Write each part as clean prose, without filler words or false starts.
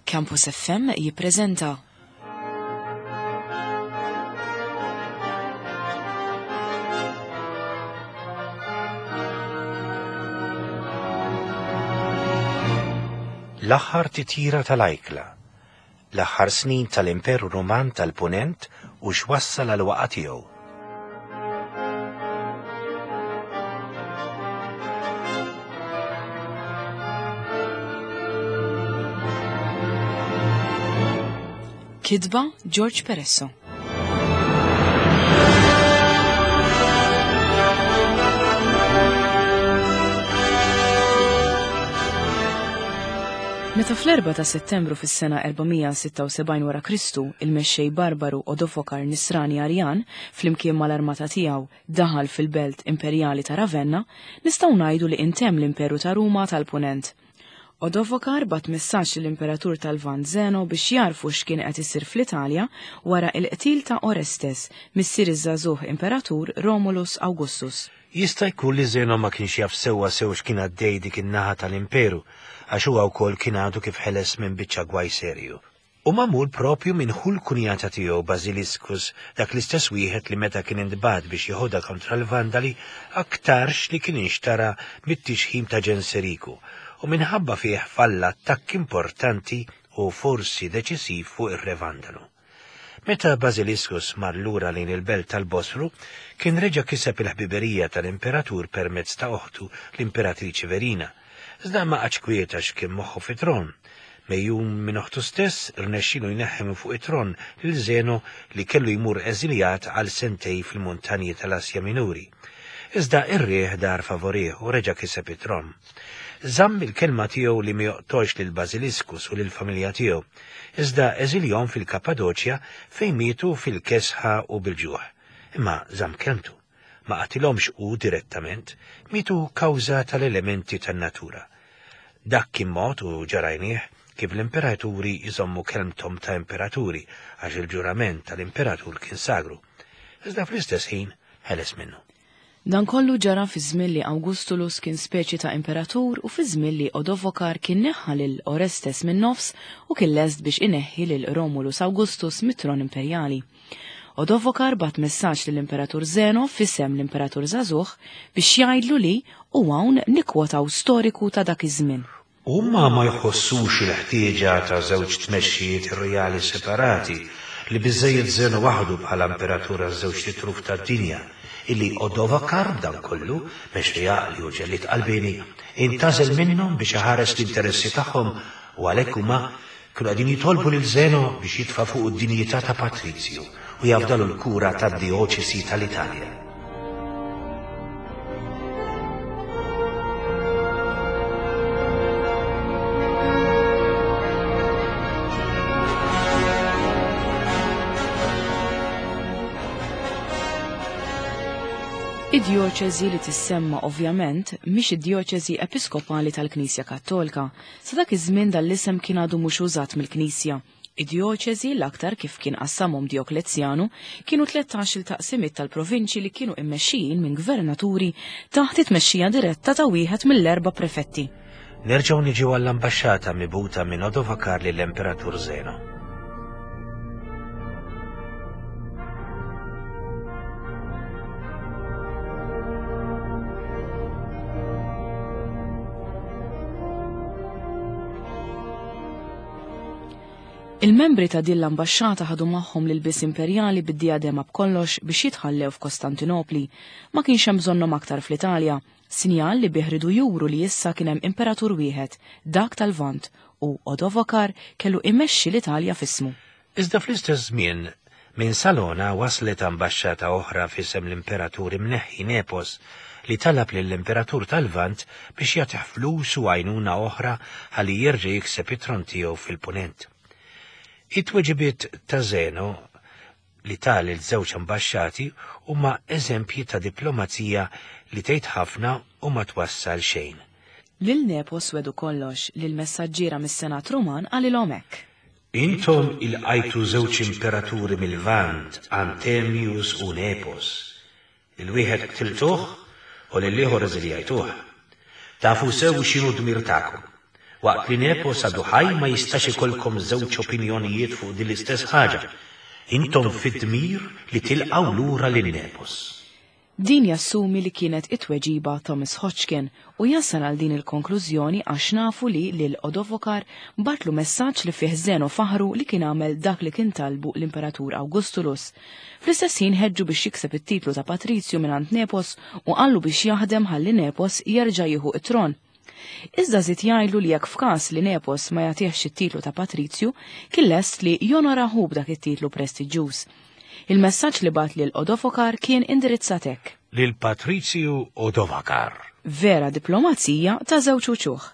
Campus FM jippreżenta. L-aħħar titjira tal-ajkla, l-aħħar snin tal-Imperu Ruman tal-Punent u x'wassal għal waqa' tiegħu. Kitba George Peresso. Meta fl-4 ta' Settembru fis-sena 476 wara Kristu, il-mexxej barbaru Odofokar Nisrani Arjan, flimkien mal-armata tiegħu, daħal fil-belt imperjali ta' Ravenna, nistgħu ngħidu li intemm l-Imperu ta' Ruma tal-Punent. Odovokar bagħat messaġġ lill-Imperatur tal-Lvant Zeno biex jgħarrfu x'kien qed isir fl-Italja wara l-qtil ta' Orestes, missier iż-żagħżugħ Imperatur Romulus Augustus. Jista' jkun li Zeno ma kienx jaf sewwa sew x'kien għaddej dik in-naħa tal-Imperu, għax huwa wkoll kien għadu kif ħeles minn biċċa gwaj serju. U magħmul proprju minn ħu l-kunjata tiegħu Basiliscus, dak l-istess wieħed li meta kien intbagħat biex jeħodha kontra l-Vandali aktarx li kien inxtara mit-tixħim ta' Ġenseriku, u minħabba fih falla attakk importanti u forsi deċisiv fuq ir-re Vandalu. Meta Basiliscus mar lura lejn il-belt tal-Bosfru, kien reġa' kiseb il-ħbiberija tal-imperatur permezz ta' oħtu l-imperatriċi Verina, Iżda ma qagħadx kwiet għax kien moħħu fit-tron. Megħjun minn oħtu stess, rnexxielu jneħħi minn fuq it-tron lil Zeno li kellu jmur eżiljat għal sentej fil-muntanji tal-Asja Minuri. Iżda r-riħ dar favorih u reġa' kiseb it-tron. Żamm il-kelma tiegħu li ma joqtolx lil Basiliscus u lill-familja tiegħu, iżda eżiljhom fil-Kappadoċja fejn mietu fil-kesħa u bil-ġuħ. Imma żamm kelmtu. Ma qatilhomx hu direttament, mietu kawża tal-elementi tan-natura. Dak kien mod, u ġa rajnieh, kif l-imperaturi jżommu kelmthom ta' imperaturi, għax il-ġurament tal-imperatur kien sagru. Iżda fl-istess ħin ħeles minnu. Dan kollu ġara fi żmien li Awgustulus kien speċi ta' imperatur u fi żmien li Odovokar kien neħħa lil Orestes min-nofs u kien lest biex ineħħi lil Romulus Augustus mit-tron imperjali. Odovokar bagħat messaġġ lill-Imperatur Zeno f'isem l-Imperatur żagħżugħ biex jgħidlu li, u hawn nikkwotaw storiku ta' dak iż-żmien. Huma ma jħossux il-ħtieġa ta' żewġ tmexxijiet rjali separati, li biżżejjed Zeno waħdu bħala imperatur għaż-żewġt itruf tad-dinja, illi Odovakar b'dan kollu, mexxej għaqli u ġellied qalbieni, intgħażel minnhom biex iħares l-interessi tagħhom u għalhekk huma Kienu qegħdin jitolbu lil Zeno biex jitfa' fuqu d-dinjità ta' patrizju u jafdalu l-kura tad-dijoċesi tal-Italja. Id-djoċesi li tissemma ovvjament mhix id-djoċesi episkopali tal-Knisja Kattolka, Sa dak iż-żmien dan l-isem kien għadu mhux użat mill-Knisja. Id-djoċesi, l-aktar kif kien qassamhom Djoklezjanu, kienu tlettax-il taqsimiet tal-provinċji li kienu immexxijin minn gvernaturi taħt it-tmexxija diretta ta' wieħed mill-erba' prefetti. Nerġgħu niġu għall-ambaxxata mibgħuta minn Odovakar lill-Emperatur Zeno. Il-membri ta' din l-ambaxxata ħadu magħhom l-ilbies imperjali bid-dijadema b'kollox biex jitħallew f'Kostantinopli. Ma kienx hemm bżonnhom aktar fl-Italja, sinjal li bih riedu juru li issa kien hemm imperatur wieħed, dak tal-Lvant, u Odovokar kellu imexxi l-Italja f'ismu. Iżda fl-istess żmien, minn Salona waslet ambaxxata oħra f'isem l-Imperatur imneħħi Nepos, li talab lill-Imperatur tal-Lvant biex jagħtih flus u għajnuna oħra ħalli jerġa' jikseb it-tron tiegħu fil-Punent. It-tweġibiet ta' Zeno li ta lil żewġ ambaxxati huma eżempji ta' diplomazija li tgħid ħafna u ma twassal xejn. Lil Nepos wegħdu kollox, lill-messaġġiera mis-Senat Ruman qalilhom hekk. Intom ilqajtu żewġ imperaturi mil-Lvant, Antemius u Nepos. Lil wieħed qtiltuh u lill-ieħor eżiljajtuh. Tafu sew x'inhu d-dmir tagħkom. Waqt li Nepos għadu ħaj ma jistax ikollkom żewġ opinjonijiet fuq din l-istess ħaġa. Intom fid-dmir li tilqgħu lura lil Nepos. Din jassumi li kienet it-tweġiba Thomas Hodgkin u jasal għal din il-konklużjoni għax nafu li lil Odovokar bagħatlu messaġġ li fih Zeno faħru li kien għamel dak li kien talbu l-Imperatur Augustulus. Fl-istess ħin ħeġġu biex jikseb it-titlu ta' patrizju mingħand Nepos u qallu biex jaħdem ħalli Nepos jerġa' jieħu t-tron. Iżda żied jgħidlu li jekk f'każ li Nepos ma jagħtihx it-titlu ta' patrizju, kien lest li jonora hu b'dak it-titlu prestiġjuż. Il-messaġġ li bagħat lil Odovokar kien indirizzat hekk. Lil Patrizju Odovakar. Vera diplomazija ta' żewġ uċuħ.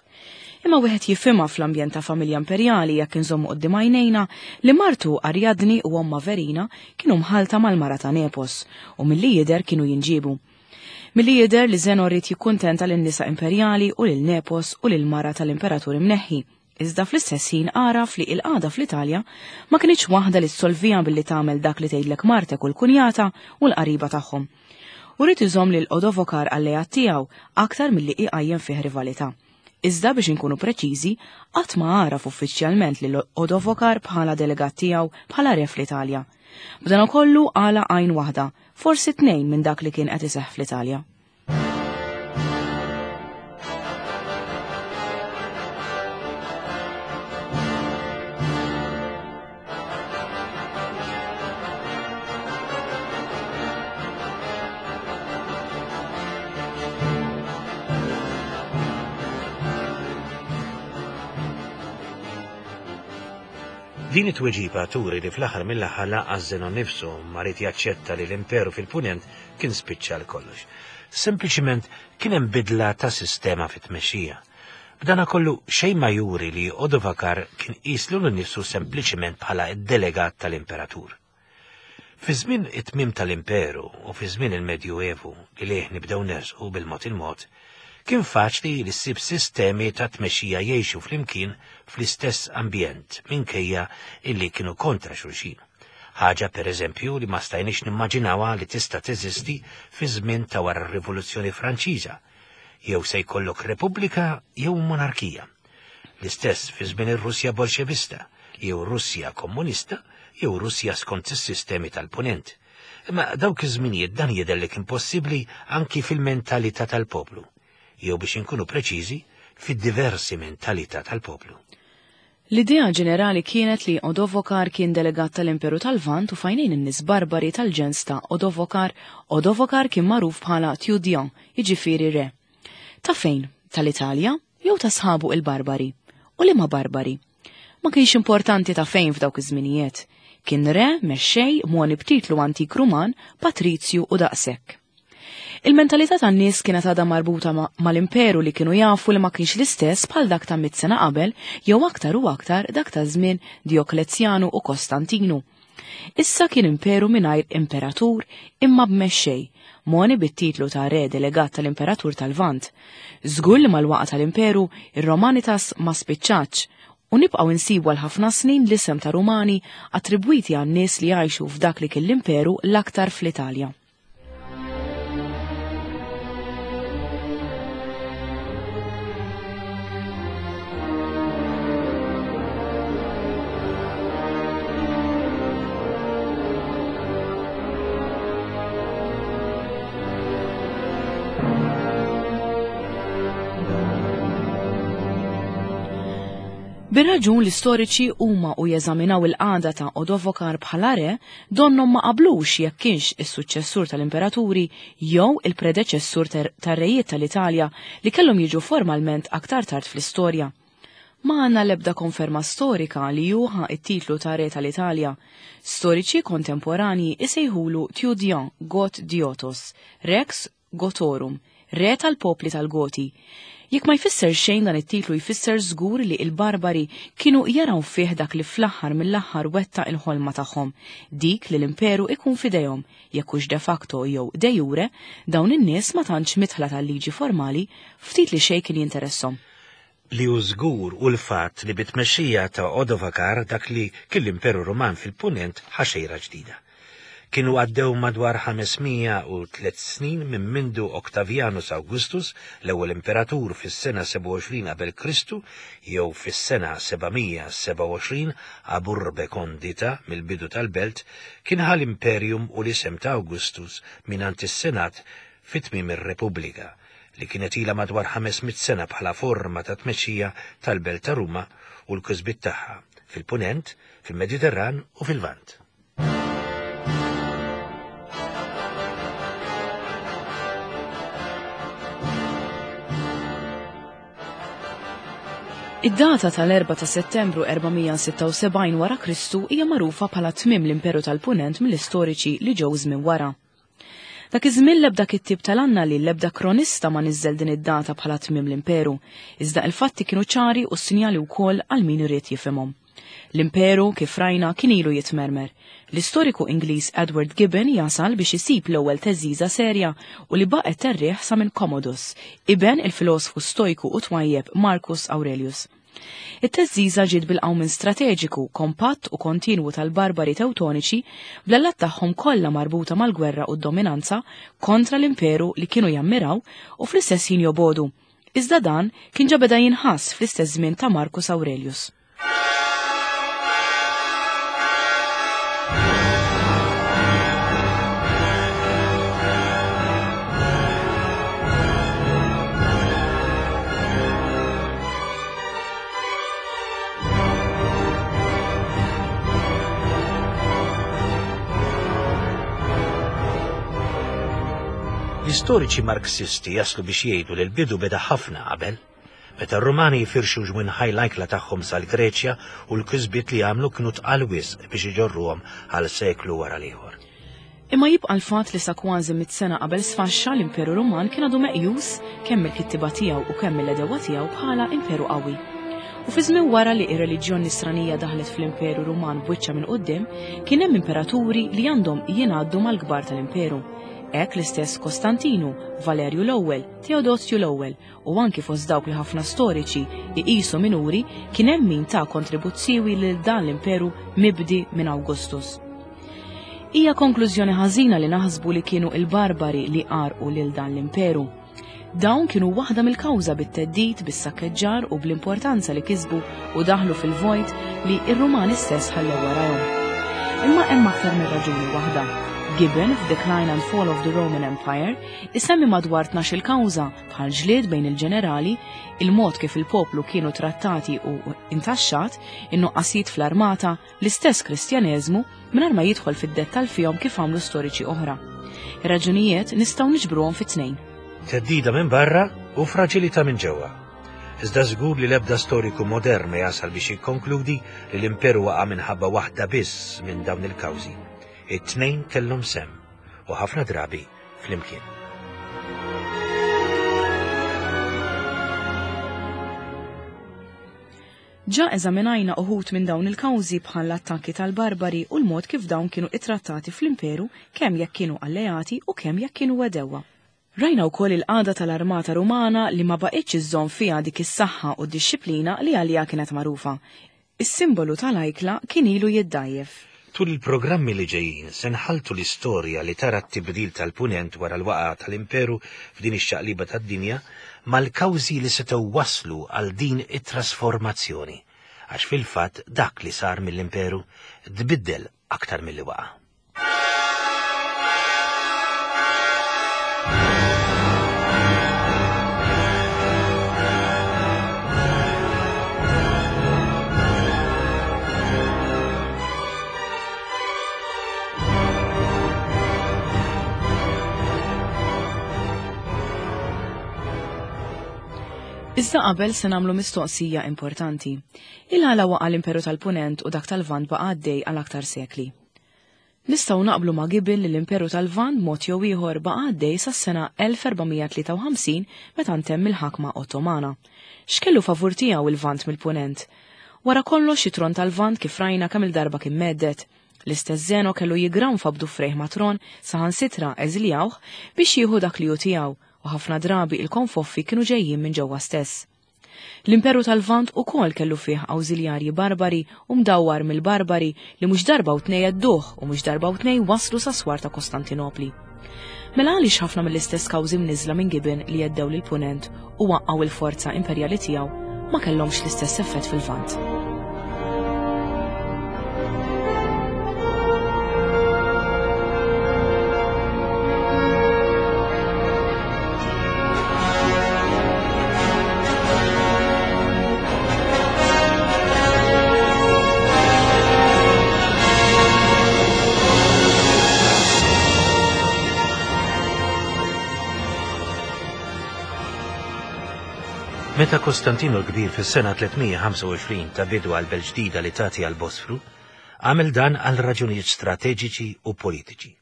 Imma wieħed jifhimha fl-ambjent ta' familja imperjali jekk inżommu quddiem għajnejna li martu Ariadni u ommha Verina kienu mħallta mal-mara ta' Nepos u milli jidher kienu jinġiebu. Milli jidher li Zeno ried jikkuntenta lin-nisa imperjali u lil Nepos u lill-mara tal-imperatur imneħħi, iżda fl-istess ħin għaraf li il-qagħda fl-Italja ma kinitx waħda li ssolviha billi tagħmel dak li tgħidlek martek u l-kunjata u l-qariba tagħhom. U ried iżomm lil Odovokar alleat tiegħu aktar milli iqajjem fih rivalità. Iżda biex inkunu preċiżi, qatt ma għaraf uffiċjalment lil Odovokar bħala delegat tiegħu bħala re fl-Italja. B'danakollu għalaq għajn waħda, forsi tnejn minn dak li kien qed iseħħ fl-Italja. Din it-tweġiba turi li fl-aħħar mill-aħħar lanqas Zeno nnifsu ma ried jaċċetta li l-imperu fil-Punent kien spiċċa għal kollox. Sempliċiment kien hemm bidla ta' sistema fit-tmexxija. B'danakollu xejn ma juri li Odovakar kien qies lilu nnifsu sempliċiment bħala d-delegat tal-imperatur. Fi żmien it-tmiem tal-Imperu u fi żmien il-Medjuevu li lejh nibdew nersqu bil-mod il-mod, kien faċli li ssib sistemi ta' tmexxija jgħixu flimkien fl-istess ambjent minkejja illi kienu kontra xulxin. Ħaġa, per eżempju, li ma stajniex nimmaġinawha li tista' teżisti fi żmien ta' wara r-Rivoluzzjoni Franċiża. Jew se jkollok repubblika jew monarkija. L-istess fi żmien ir-Russja Bolxevista, jew Russja Komunista, jew Russja skont is-sistemi tal-Punent. Imma dawk iż-żminijiet dan jidher li kien possibbli anki fil-mentalità tal-poplu, jew biex inkunu preċiżi, fid-diversi mentalità tal-poplu. L-idea ġenerali kienet li Odovokar kien delegat tal-Imperu tal-Lvant u f'għajnejn in-nies barbari tal-ġens ta' Odovokar, Odovokar kien magħruf bħala Tjudion, jiġifieri re. Ta' fejn? Tal-Italja? Jew ta' sħabu il-barbari? U liema barbari? Ma kienx importanti ta' fejn f'dawk iż-żminijiet. Kien re, mexxej, mogħni b'titlu antik Ruman, patrizju u daqshekk. Il-mentalità tan-nies kienet għadha marbuta mal-imperu li kienu jafu li ma kienx l-istess bħal dak ta' mitt sena qabel jew aktar u aktar dak ta' żmien Djoklezjanu u Kostantinu. Issa kien imperu mingħajr imperatur imma b'mexxej, mogħni bit-titlu ta' re delegat tal-imperatur tal-Lvant. Żgur li mal-waqgħa tal-imperu, ir-Romanitas ma spiċċatx, u nibqgħu nsibu għal ħafna snin l-isem ta' Rumani attribwiti għan-nies li jgħixu f'dak li kien l-imperu l-aktar fl-Italja. Bir-raġun l-istoriċi huma u jeżaminaw il-qagħda ta' Odovokar bħala re, donnhom ma qablux jekk kienx is-suċċessur tal-imperaturi jew il-predeċessur tar-rejiet tal-Italja li kellhom jiġu formalment aktar tard fl-istorja. Ma għandna l-ebda konferma storika li hu ħa t-titlu ta' re tal-Italja. Storiċi kontemporanji isejħulu Tiudion Got Diotos, Rex Gotorum, re tal-popli tal-Goti. Jekk ma jfisser xejn dan it-titlu jfisser żgur li il-Barbari kienu jaraw fih dak li fl-aħħar mill-aħħar wettaq il-ħolma tagħhom, dik li l-imperu ikun f'idejhom, jekk hux de facto jew de jure, dawn in-nies ma tantx midħla tal-liġi formali ftit li xejn kien jinteresshom. Li hu żgur hu l-fatt li bit-tmexxija ta' Odovakar dak li kien l-Imperu Ruman fil-Punent ħa xejra ġdida. Kienu għaddew madwar 503 snin minn mindu Octavianus Augustus, l-ewwel imperatur fis-sena 27 qabel Kristu jew fis-sena 727 ab urbe condita mill-bidu tal-belt, kien ħa l-imperium u l-isem ta' Augustus mingħand is-Senat fi tmiem ir-Repubblika, li kienet ilha madwar 500 sena bħala forma ta' tmexxija tal-belt ta' Ruma u l-kisbiet tagħha fil-Punent, fil-Mediterran u fil-Lvant. Id-data tal-4 ta' Settembru 476 wara Kristu hija magħrufa bħala tmiem l-Imperu tal-Punent mill-istoriċi li ġew żmien wara. Dak iż-żmien l-ebda kittieb tal-annali, l-ebda kronista ma niżżel din id-data bħala tmiem l-Imperu, iżda il-fatti kienu ċari u s-sinjali wkoll għal min irid jifhimhom. L-imperu, kif rajna, kien ilu jitmermer. L-istoriku Ingliż Edward Gibbon jasal biex isib l-ewwel theżżiża serja u li baqgħet terrieħ sa minn Commodus, iben il-filosfu stojku u twajjeb Marcus Aurelius. It-theżżiża ġiet bil-qawmien strateġiku, kompatt u kontinwu tal-barbari Tewtoniċi bl-allat tagħhom kollha marbuta mal-gwerra u d-dominanza kontra l-imperu li kienu jammiraw u fl-istess ħin jobogħdu. Iżda dan kien ġa beda jinħass fl-istess żmien ta' Marcus Aurelius. L-istoriċi Marxisti jaslu biex jgħidu li l-bidu beda ħafna qabel. Meta r-Rumani jifirxu ġwinħaj l-ajkla tagħhom sal-Greċja u l-kisbiet li għamlu kienu tqal wisq biex iġorruhom għal seklu wara l-ieħor. Imma jibqa' l-fatt li sa kważi mitt sena qabel sfaxxa l-Imperu Ruman kien għadu meqjus kemm mill-kittieba tiegħu u kemm mill-għedewwa tiegħu bħala imperu qawwi. U fi żmien wara li r-reliġjon Nisranija daħlet fl-Imperu Ruman b'wiċċha minn quddiem, kien hemm imperaturi li għandhom jingħaddu mal-kbar tal-imperu. Hekk l-istess Kostantinu, Valerju l-Ewwel, Teodosju l-Ewwel u anki fost dawk li ħafna storiċi iqisu minuri kien hemm min ta kontribut siewi lil dan l-imperu mibdi minn Augustus. Hija konklużjoni ħażina li naħsbu li kienu il-barbari li għarqu lil dan l-imperu. Dawn kienu waħda mill-kawża bit-theddid, bis-sakkeġġar u bl-importanza li kisbu u daħlu fil-vojt li r-Rumani stess ħallew warajhom. Imma hemm aktar minn raġuni waħda. Gibbon f'Decline and Fall of the Roman Empire isemmi madwar 12-il kawża bħal ġlied bejn il-ġenerali, il-mod kif il-poplu kienu trattati u intaxxat, in-nuqqasijiet fl-armata, l-istess Kristjaneżmu, mingħajr ma jidħol fid-dettall fihom kif għamlu storiċi oħra. Ir-raġunijiet nistgħu niġbruhom fi tnejn. Theddida minn barra u fraġilità minn ġewwa. Iżda żgur li l-ebda storiku modern ma jasal biex jikkonkludi li l-imperu waqa' minħabba waħda biss minn dawn il-kawżi. It-tnejn kellhom sehem, u ħafna drabi flimkien. Ġa eżaminajna uħud minn dawn il-kawżi bħal l-attakki tal-barbari u l-mod kif dawn kienu ittrattati fl-imperu kemm jekk kienu alleati u kemm jekk kienu għedewwa. Rajna wkoll il-qagħda tal-armata Rumana li ma baqgħetx iżżomm fiha dik is-saħħa u d-dixxiplina li għaliha kienet magħrufa. Is-simbolu tal-ajkla kien ilu jiddgħajjef. Tul il-programmi li ġejjin se nħalltu l-istorja li tara t-tibdil tal-Punent wara l-waqgħa tal-Imperu f'din ix-xaqliba tad-dinja mal-kawżi li setgħu wasslu għal din it-trasformazzjoni, għax fil-fatt dak li sar mill-Imperu tbiddel aktar milli waqa'. Iżda qabel se nagħmlu mistoqsija importanti. Il-għala waqa' l-Imperu tal-Punent u dak tal-Lvant baqa' għaddej għal aktar sekli. Nistgħu naqblu ma' Gibbon li l-Imperu tal-Lvant b'mod jew ieħor baqa' għaddej sas-sena 1453 meta ntemm il-ħakma Ottomana. X'kellu favur tiegħu il-Lvant mill-Punent? Wara kollox it-tron tal-Lvant kif rajna kemm-il darba kien mhedded. L-istess Zeno kellu jiggranfa b'dufrejh mat-tron saħansitra eżiljawh biex jieħu dak li hu tiegħu u ħafna drabi il-konfoffi kienu ġejjin minn ġewwa stess. L-Imperu tal-Lvant ukoll kellu fih awżiljarji barbari u mdawwar mill-barbari li mhux darba u tnej għedduh u mhux darba u tnej waslu sas-swar ta' Kostantinopli. Mela għaliex ħafna mill-istess kawżi mniżżla minn Gibbon li għeddew lill-Punent u waqqgħu l-forza imperjali tiegħu ma kellhomx l-istess effett fil-Lvant? Meta Kostantinu l-Kbir fis-sena 325 ta bidu għal belt ġdida li tagħti għal Bosfru, għamel dan għal raġunijiet strateġiċi u politiċi.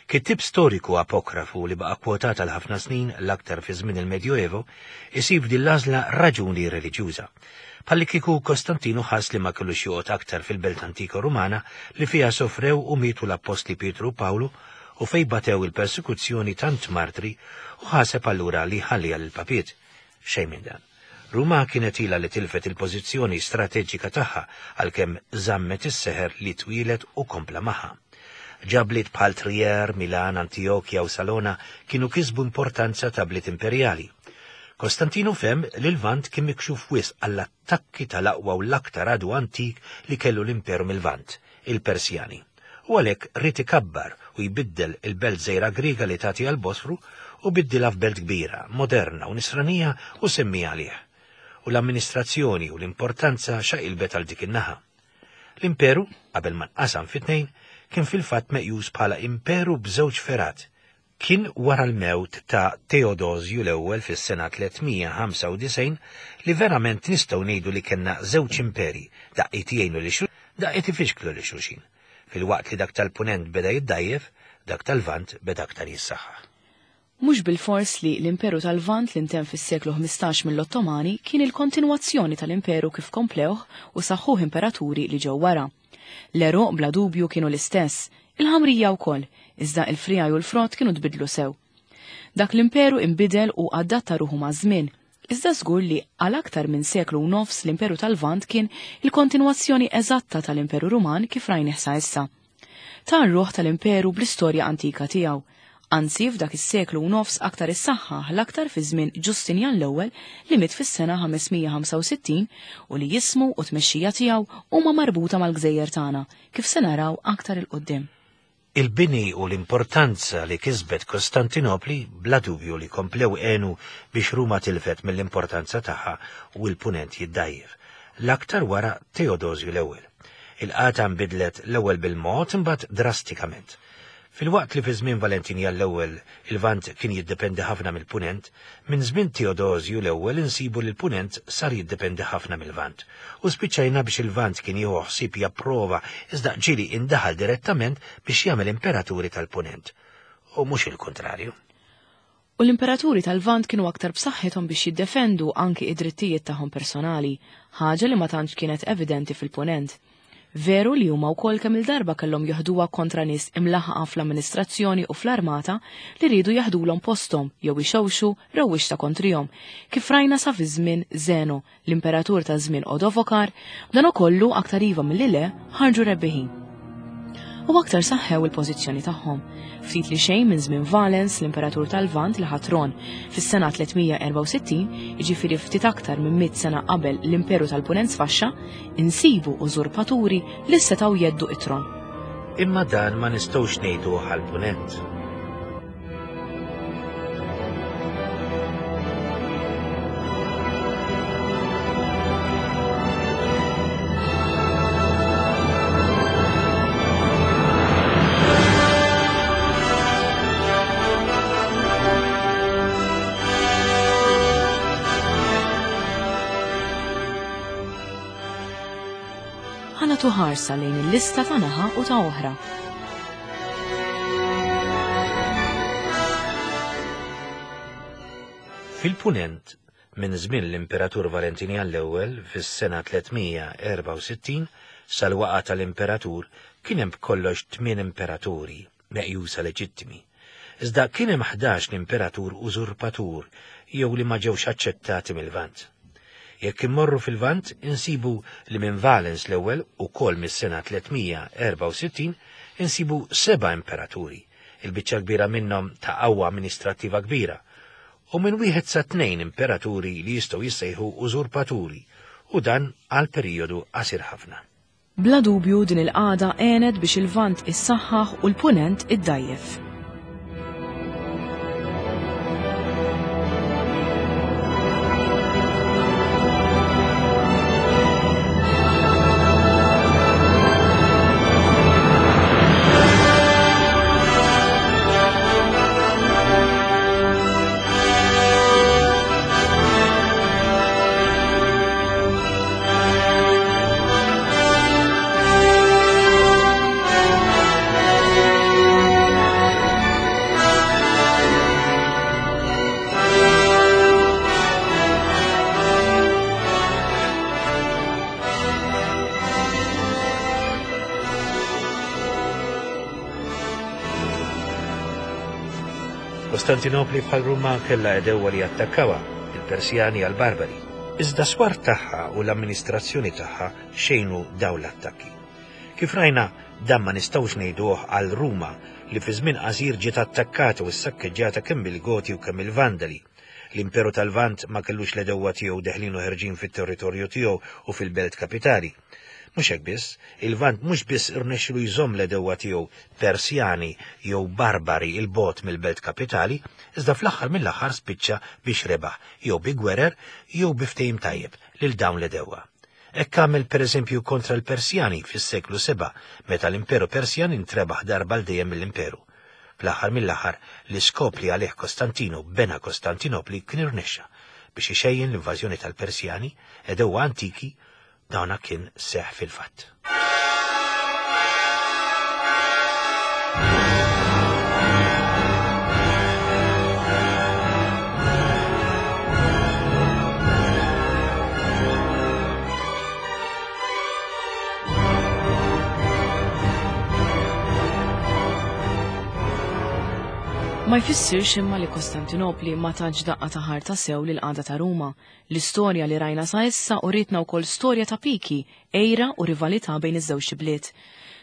Kittieb storiku apokrafu li baqa' kwotat għal ħafna snin, l-aktar fi żmien il-Medjoevo, isib f'din l-għażla raġuni reliġjuża. Bħallikieku Kostantinu ħass li ma kellux joqgħod aktar fil-belt antika Rumana li fiha sofrew u mietu l-appostli Pietru u Pawlu u fejn batew il-persekuzzjoni tant martri u ħaseb allura li jħalliha lill-papiet. Xejn minn dan. Ruma kienet ilha li tilfet il-pożizzjoni strateġika tagħha għalkemm żammet is-seħer li twieled u kompla magħha. Ġa bliet bħal Trier, Milan, Antijokja u Salona kienu kisbu importanza ta' bliet imperjali. Kostantinu fehem li l-Lvant kien mikxuf wisq għall-attakki tal-aqwa u l-aktar għadu antik li kellu l-Imperu mil-Lvant, il-Persjani, u għalhekk ried ikabbar u jbiddel il-belt żgħira Griega li tagħti għall-Bosfru u biddilha f'belt kbira, moderna u nisranija u semmiha għalih. U l-amministrazzjoni u l-importanza xaqilbet għal dik in-naħa. L-imperu, qabel ma nqasam fi tnejn, kien fil-fatt meqjus bħala imperu b'żewġ fergħat. Kien wara l-mewt ta' Teodosju l-Ewwel fis-sena 395 li verament nistgħu ngħidu li kellna żewġ imperi, daqqiet jgħinu lil xulxin, daqqiet ifixklu lil xulxin. Filwaqt li dak tal-Punent beda jiddgħajjef, dak tal-Lvant beda aktar jissaħħaħ. Mhux bilfors li l-Imperu tal-Lvant li ntemm fis-seklu 15 mill-Ottomani kien il-kontinwazzjoni tal-Imperu kif komplewh u saħħuh imperaturi li ġew wara. L-għeruq bla dubju kienu l-istess, il-ħamrija wkoll, iżda il-friegħi u l-frott kienu tbiddlu sew. Dak l-imperu inbidel u adatta ruħu maż-żmien, iżda żgur li għal aktar minn seklu u nofs l-Imperu tal-Lvant kien il-kontinwazzjoni eżatta tal-Imperu Ruman kif rajnih sa issa. Ta r-ruħ tal-imperu bl-istorja antika tiegħu. Anzi, f'dak is-seklu u nofs aktar issaħħaħ l-aktar fi żmien Ġustinjan l-Ewwel li miet fis-sena 565 u li jismu u t-tmexxija tiegħu huma marbuta mal-gżejjer tagħna, kif se naraw aktar 'il quddiem. Il-bini u l-importanza li kisbet Kostantinopli bla dubju li komplew għenu biex Ruma tilfet mill-importanza tagħha u l-Punent jiddgħajjef, l-aktar wara Teodosju l-Ewwel. Il-qagħda nbidlet l-ewwel bil-mod imbagħad drastikament. Filwaqt li fi żmien Valentinjan l-Ewwel il-Lvant kien jiddependi ħafna mill-Punent, minn żmien Teodosju l-Ewwel insibu li l-Punent sar jiddependi ħafna mil-Lvant. U spiċċajna biex il-Lvant kien jieħu ħsieb japprova iżda ġieli indaħal direttament biex jagħmel imperaturi tal-Punent. U mhux il-kuntrarju. U l-imperaturi tal-Lvant kienu aktar b'saħħithom biex jiddefendu anki id-drittijiet tagħhom personali, ħaġa li ma tantx kienet evidenti fil-Punent. Veru li huma wkoll kemm-il darba kellhom joħduha kontra nies imlaħħqa fl-amministrazzjoni u fl-armata li riedu jaħdulhom posthom jew ixewxu rewwixta kontrihom, kif rajna sa fi żmien Zeno L-imperatur ta' żmien Odovokar, b'danokollu aktar iva milli le, ħarġu rebbiħin. U aktar saħħew il-pożizzjoni tagħhom. Ftit li xejn minn żmien Valens, l-imperatur tal-Lvant li ħa tron fis-sena 364, jiġifieri ftit aktar minn mitt sena qabel l-Imperu tal-Punent sfaxxa, insibu użurpaturi li setgħu jeddu it-tron. Imma dan ma nistgħux ngħiduh għall-Punent. Ħa nagħtu ħarsa lejn il-lista ta' naħa u ta' oħra. Fil-Punent, minn żmien l-Imperatur Valentinjan l-Ewwel fis-sena 364 sal-waqgħa tal-Imperatur kien hemm b'kollox tmien imperaturi meqjusa leġittimi. Iżda kien hemm 11 l-imperatur użurpatur jew li ma ġewx aċċettati mil-Lvant. Jekk immorru fil-Lvant insibu li minn Valens l-ewwel ukoll mis-sena 364 insibu seba' imperaturi, il-biċċa kbira minnhom ta' qawwa amministrattiva kbira, u minn wieħed sa tnejn imperaturi li jistgħu jissejħu użurpaturi, u dan għal perijodu qasir ħafna. Bla dubju din il-qagħda għenet biex il-Lvant issaħħaħ u l-Punent iddgħajjef. Kostantinopli bħal Ruma kellha għedewwa li attakkawha, il-Persjani għall-Barbari. Iżda swar tagħha u l-amministrazzjoni tagħha xejnu dawn l-attakki. Kif rajna, dan ma nistgħux ngħiduh għal Ruma li fi żmien qasir ġiet attakkata u ssakkeġġjata kemm mill-Goti u kemm mill-Vandali. L-Imperu tal-Lvant ma kellux l-għedewwa tiegħu deħlin u ħerġin fit-territorju tiegħu u fil-belt kapitali. Mhux hekk biss, il-Lvant mhux biss irnexxielu jżomm l-għedewwa tiegħu Persjani jew Barbari 'l bogħod mill-belt kapitali, iżda fl-aħħar mill-aħħar spiċċa biex rebaħ, jew bi gwerer jew bi ftehim tajjeb, lil dawn l-għedewwa. Hekk għamel pereżempju kontra l-Persjani fis-seklu sebgħa, meta l-Imperu Persjan intrebaħ darba għal dejjem mill-Imperu. Fl-aħħar mill-aħħar, l-iskop li għalih Kostantinu bena Kostantinopli kien irnexxa, biex ixejjen l-invażjoni tal-Persjani, għedewwa antiki, dawna kien seħħ fil-fatt. Ma jfissirx imma li Kostantinopli ma tatx daqqa ta' ħarta sew lill-qagħda ta' Ruma. L-istorja li rajna sa issa urietna wkoll storja ta' piki, għira u rivalità bejn iż-żewġt ibliet.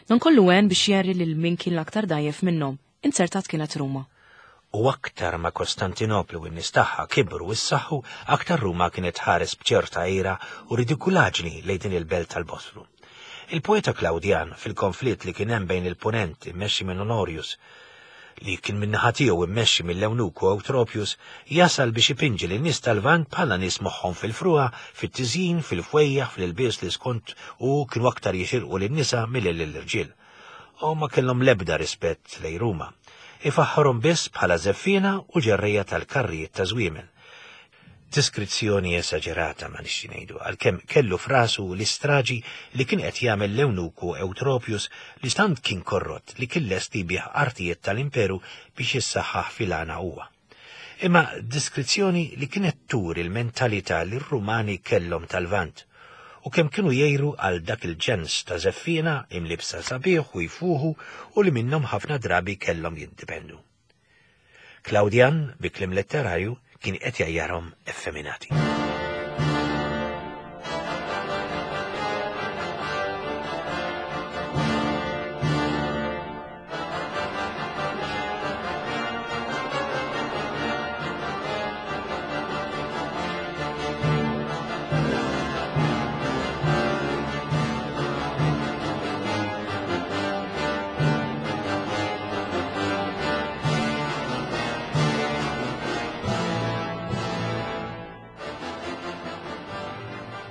Dan kollu għen biex jgħerri lil min kien l-aktar dgħajjef minnhom. Inzertat kienet Ruma. U aktar ma Kostantinopli u n-nies tagħha kibru u ssaħħu, aktar Ruma kienet tħares b'ċerta għira u ridikulaġni lejn din il-belt tal-Bosfru. Il-poeta Klawdjan, fil-konflitt li kien hemm bejn il-Punent immexxi minn Honorius, li kien min-naħa tiegħu immexxi mill-ewnuku Eutropius, jasal biex ipinġi lin-nies tal-Lvant bħala nies moħħhom fil-frugħa, fit-tiżjin, fil-fwejjaħ, fl-ilbies li skont hu kienu aktar jixirqu lin-nisa milli lill-irġiel. U ma kellhom l-ebda rispett lejn Ruma. Ifaħħarhom biss bħala żeffiena u ġerrejja tal-karrijiet ta' żwiemel. Deskrizzjoni esaġerata ma nixti ngħidu, għalkemm kellu f'rasu l-istraġi li kien qed jagħmel l-ewnuku Eutropius li tant kien korrott li kien lest li jbigħ artijiet tal-imperu biex jissaħħaħ fil-għana huwa. Imma deskrizzjoni li kienet turi l-mentalità li r-Rumani kellhom tal-Lvant u kemm kienu jgħiru għal dak il-ġens ta' żeffiena imliebsa sabiħ u jfuħu u li minnhom ħafna drabi kellhom jiddipendu. Klawdjan, bi kliem letterarju, kien qed jgħajjarhom effeminati.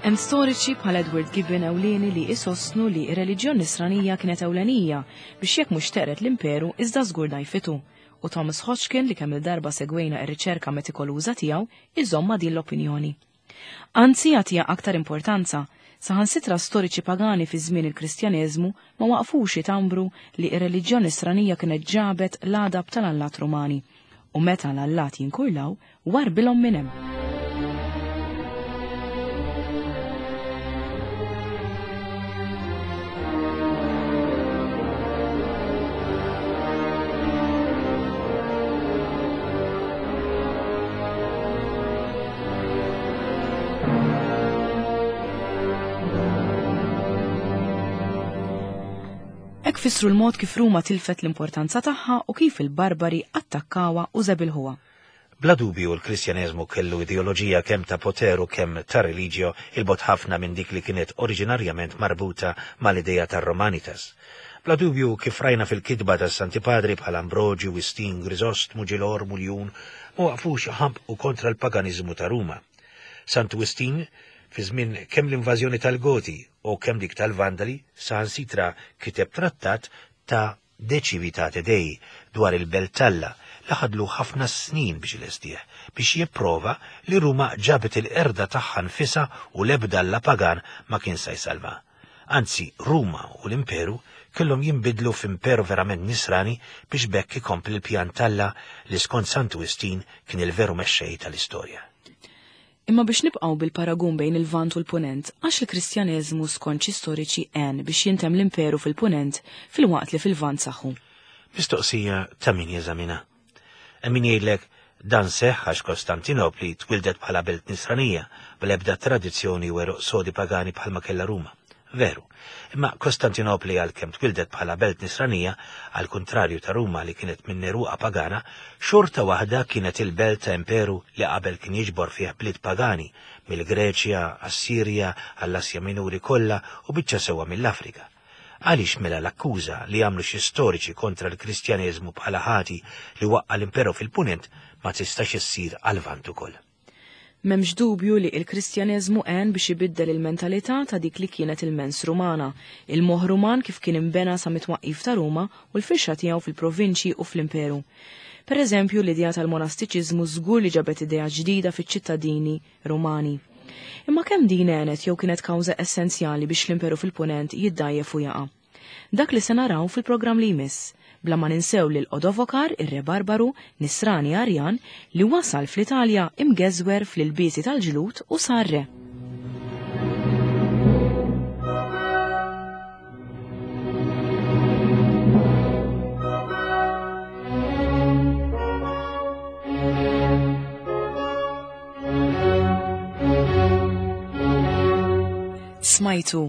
Hemm storiċi bħal Edward Gibbon ewlieni li isostnu li r-reliġjon nisranija kienet ewlenija biex jekk mhux teqred l-imperu iżda żgur dgħajfitu, u Thomas Hodgkin li kemm-il darba segwejna r-riċerka metikoluża tiegħu iżomm ma' din l-opinjoni. Anzi jagħtiha aktar importanza, saħansitra storiċi pagani fi żmien il-Kristjaneżmu ma waqfux jitambru li r-reliġjon nisranija kienet ġabet l-għadab tal-allat Rumani, u meta l-allat jinkurlaw, warbilhom minn hemm. Hekk fissru l-mod kif Ruma tilfet l-importanza tagħha u kif il-Barbari attakkawha u żebilħuha. Bla dubju l-Kristjaneżmu kellu ideoloġija kemm ta' poter u kemm ta' religio 'il bogħod ħafna minn dik li kienet oriġinarjament marbuta mal-idea tar-Romanitas. Bla dubju, kif rajna fil-kitba tas-Santi Padri bħal Ambroġju, Wistin, Griżostmu, Ġilormu, Ljun, ma waqfux iħampqu kontra l-paganiżmu ta' Ruma. Santu Wistin, fi żmien kemm l-invażjoni tal-Goti u kemm dik tal-Vandali, saħansitra kiteb trattat ta' De Civitate Dei, dwar il-Belt t'Alla, li ħadlu ħafna snin biex ilestih, biex jipprova li Ruma ġabet il-qerda tagħha nfisha u l-ebda alla pagan ma kien sa jsalvha. Anzi, Ruma u l-Imperu kellhom jinbidlu f'imperu verament Nisrani biex b'hekk ikompli l-pjan t'Alla li skont Santu Wistin kien il-veru mexxej tal-istorja. Imma biex nibqgħu bil-paragun bejn il-Lvant u l-Punent, għax il-Kristjaneżmu skont xi storiċi għen biex jintemm l-imperu fil-Punent filwaqt li fil-Lvant saħħu? Mistoqsija ta' min jeżamina. Hemm min jgħidlek dan seħħ għax Kostantinopli twildet bħala belt Nisranija, bl-ebda tradizzjoni u għeruq sodi pagani bħalma kellha Ruma. Veru. Imma Kostantinopli għalkemm twildet bħala belt Nisranija, għall-kuntrarju ta' Ruma li kienet minn għeruqha pagana, xorta waħda kienet il-belt ta' imperu li qabel kien jiġbor fih bliet pagani, mill-Greċja, għas-Sirja, għall-Asja Minuri kollha u biċċa sewwa mill-Afrika. Għaliex mela l-akkuża li għamlu xi storiċi kontra l-Kristjaneżmu bħala ħati li waqqa' l-imperu fil-Punent ma tistax issir għal-Lvant ukoll? M'hemmx dubju li il-Kristjaneżmu għen biex ibiddel il-mentalità ta' dik li kienet il-mens Rumana, il-moħħ Ruman kif kien inbena sa mit-twaqqif ta' Ruma u l-firxa tiegħu fil-provinċji u fl-imperu. Per eżempju, l-idea tal-monastiċiżmu żgur li ġabet idea ġdida fiċ-ċittadini Rumani. Imma kemm din għenet jew kienet kawża essenzjali biex l-imperu fil-Punent jiddgħajjef u jaqa'? Dak li se naraw fil-programm li jmiss, bla ma ninsew lil Odovokar, ir-re Barbaru, Nisrani Arjan, li wasal fl-Italja imgeżwer fl-ilbiesi tal-ġlud u sar re. Smajtu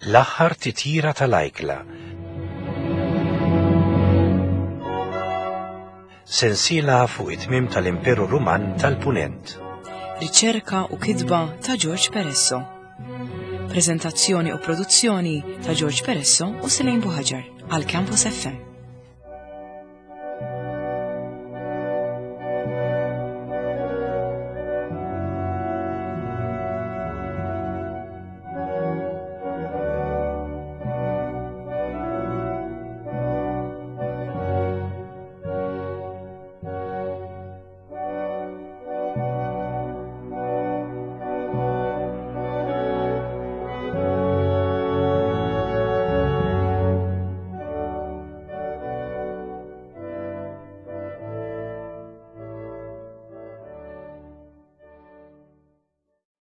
L-aħħar titjira tal-ajkla. Sensiela fuq it-tmiem tal-Imperu Ruman tal-Punent. Riċerka u kitba ta' George Peresso. Prezentazzjoni u produzzjoni ta' George Peresso u Selene Buhaġar għal Campus FM.